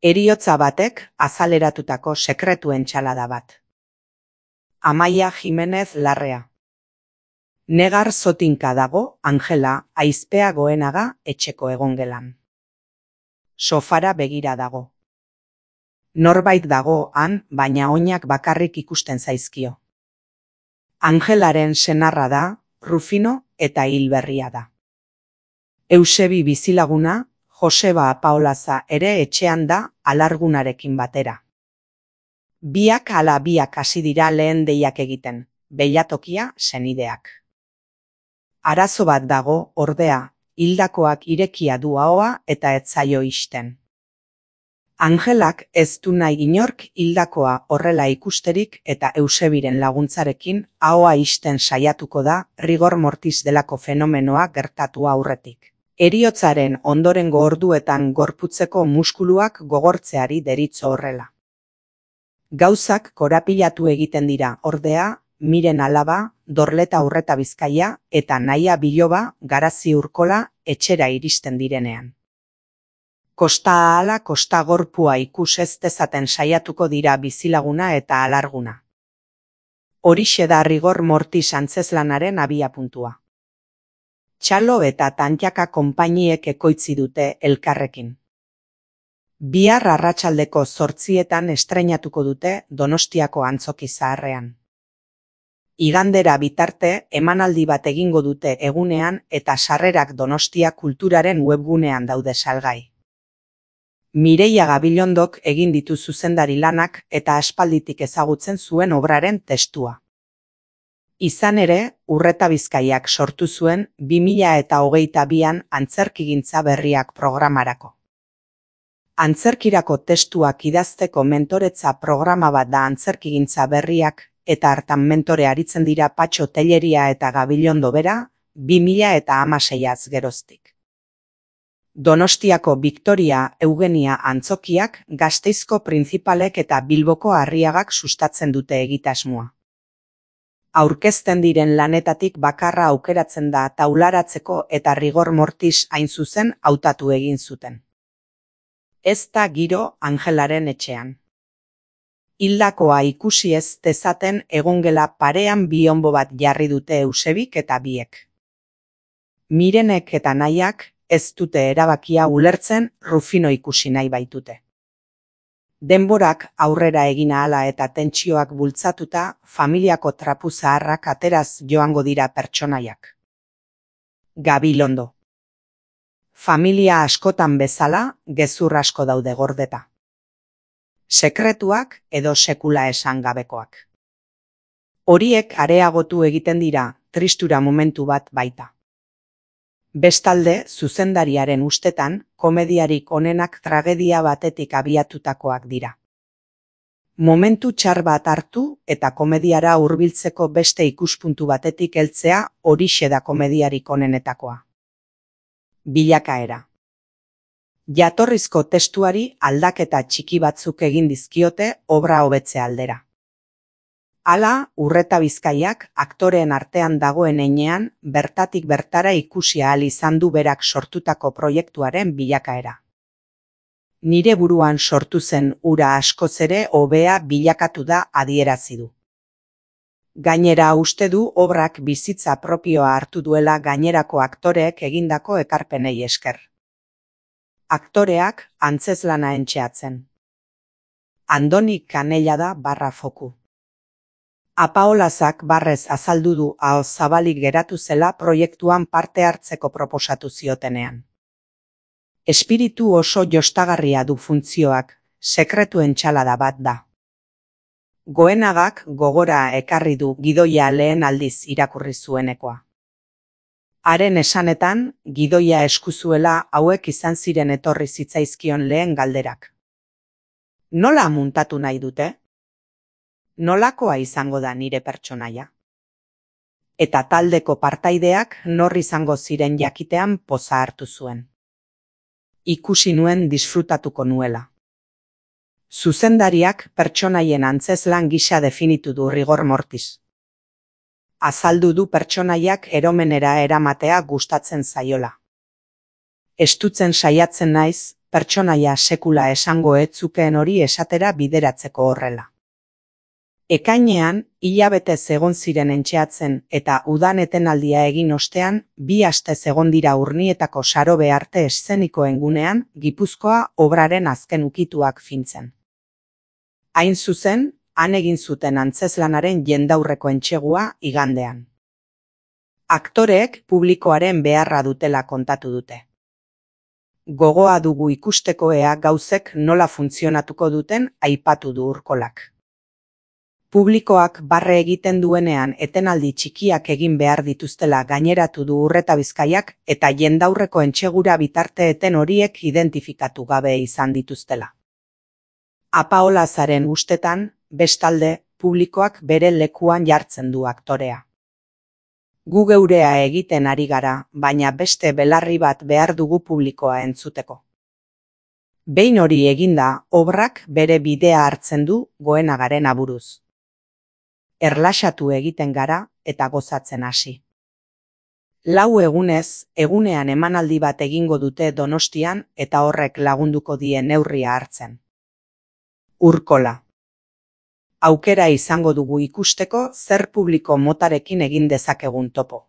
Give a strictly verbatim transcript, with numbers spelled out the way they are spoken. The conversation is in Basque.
Heriotza batek azaleratutako sekretuen txalada bat. Amaia Jimenez Larrea. Negar zotinka dago Angela aizpea goenaga etxeko egongelan. Sofara begira dago. Norbait dago han, baina oinak bakarrik ikusten zaizkio. Angelaren senarra da, Rufino eta hilberria da. Eusebi bizilaguna, Joseba Apaolaza ere etxean da alargunarekin batera. Biak ala biak hasi dira lehen deiak egiten, beilatokia senideak. Arazo bat dago, ordea, hildakoak irekia du ahoa eta ez zaio ixten. Angelak ez du nahi inork hildakoa horrela ikusterik eta Eusebiren laguntzarekin ahoa ixten saiatuko da rigor mortis delako fenomenoa gertatu aurretik. Heriotzaren ondorengo orduetan gorputzeko muskuluak gogortzeari deritzo horrela. Gauzak korapilatu egiten dira, ordea, Miren alaba, Dorleta Urreta Bizkaia eta Naia Biloba Garazi Urkola etxera iristen direnean. Kosta ahala kosta gorpua ikus ez dezaten saiatuko dira bizilaguna eta alarguna. Horixe da rigor mortis antzezlanaren abiapuntua. Txalo eta Tantjaka konpainiek ekoitzi dute elkarrekin. Bihar arratsaldeko zortzietan estreinatuko dute Donostiako Antzoki Zaharrean. Igandera bitarte emanaldi bat egingo dute egunean eta sarrerak Donostia Kulturaren webgunean daude salgai. Mireia Gabilondok egin ditu zuzendari lanak eta aspalditik ezagutzen zuen obraren testua. Izan ere, Urreta Bizkaiak sortu zuen bi mila eta hogeita bian antzerkigintza berriak programarako. Antzerkirako testuak idazteko mentoretza programa bat da antzerkigintza berriak eta hartan mentore aritzen dira Patxo Telleria eta Gabilondo bera bi mila eta hamaseiaz geroztik. Donostiako Victoria Eugenia Antzokiak, Gasteizko Printzipalek eta Bilboko Arriagak sustatzen dute egitasmoa. Aurkezten diren lanetatik bakarra aukeratzen da taularatzeko eta rigor mortis hain zuzen hautatu egin zuten. Ez da giro Angelaren etxean. Hildakoa ikusi ez dezaten egongela parean bionbo bat jarri dute Eusebik eta biek. Mirenek eta Naiak ez dute erabakia ulertzen Rufino ikusi nahi baitute. Denborak aurrera egin ahala eta tentsioak bultzatuta familiako trapu zaharrak ateraz joango dira pertsonaiak. Gabilondo. Familia askotan bezala gezur asko daude gordeta. Sekretuak edo sekula esan gabekoak. Horiek areagotu egiten dira tristura momentu bat baita. Bestalde, zuzendariaren ustetan, komediarik onenak tragedia batetik abiatutakoak dira. Momentu txar bat hartu eta komediara hurbiltzeko beste ikuspuntu batetik heltzea horixe da komediarik onenetakoa. Bilakaera. Jatorrizko testuari aldaketa txiki batzuk egin dizkiote obra hobetze aldera. Hala, Urreta Bizkaiak aktoreen artean dagoen heinean bertatik bertara ikusi ahal izan du berak sortutako proiektuaren bilakaera. Nire buruan sortu zen hura askoz ere hobea bilakatu da adierazi du. Gainera uste du obrak bizitza propioa hartu duela gainerako aktoreek egindako ekarpenei esker. Aktoreak antzezlana entxeatzen. Andoni Kanella da barra foku. Apaolazak barrez azaldu du ahoz zabalik geratu zela proiektuan parte hartzeko proposatu ziotenean. Espiritu oso jostagarria du funtzioak, sekretuen txalada bat da. Goenagak gogora ekarri du gidoia lehen aldiz irakurri zuenekoa. Haren esanetan, gidoia eskuzuela hauek izan ziren etorri zitzaizkion lehen galderak. Nola muntatu nahi dute? Nolakoa izango da nire pertsonaia? Eta taldeko partaideak nor izango ziren jakitean poza hartu zuen. Ikusi nuen disfrutatuko nuela. Zuzendariak pertsonaien antzezlan gisa definitu du rigor mortis. Azaldu du pertsonaiak eromenera eramatea gustatzen zaiola. Estutzen saiatzen naiz, pertsonaia sekula esango ez zukeen hori esatera bideratzeko horrela. Ekainean, hilabetez egon ziren entxeatzen eta udan etenaldia egin ostean, bi astez egon dira Urnietako Sarobe arte eszenikoen gunean, Gipuzkoa obraren azken ukituak fintzen. Hain zuzen, han egin zuten antzezlanaren jendaurreko entsegua igandean. Aktoreek publikoaren beharra dutela kontatu dute. Gogoa dugu ikusteko ea gauzek nola funtzionatuko duten aipatu du Urkolak. Publikoak barre egiten duenean etenaldi txikiak egin behar dituztela gaineratu du Urreta Bizkaiak eta jendaurreko entsegura bitarte eten horiek identifikatu gabe izan dituztela. Apaolazaren ustetan, bestalde, publikoak bere lekuan jartzen du aktorea. Gu geurea egiten ari gara, baina beste belarri bat behar dugu publikoa entzuteko. Behin hori eginda, obrak bere bidea hartzen du Goenagaren aburuz. Erlaxatu egiten gara eta gozatzen hasi. Lau egunez, egunean emanaldi bat egingo dute Donostian eta horrek lagunduko die neurria hartzen. Urkola. Aukera izango dugu ikusteko zer publiko motarekin egin dezakegun topo.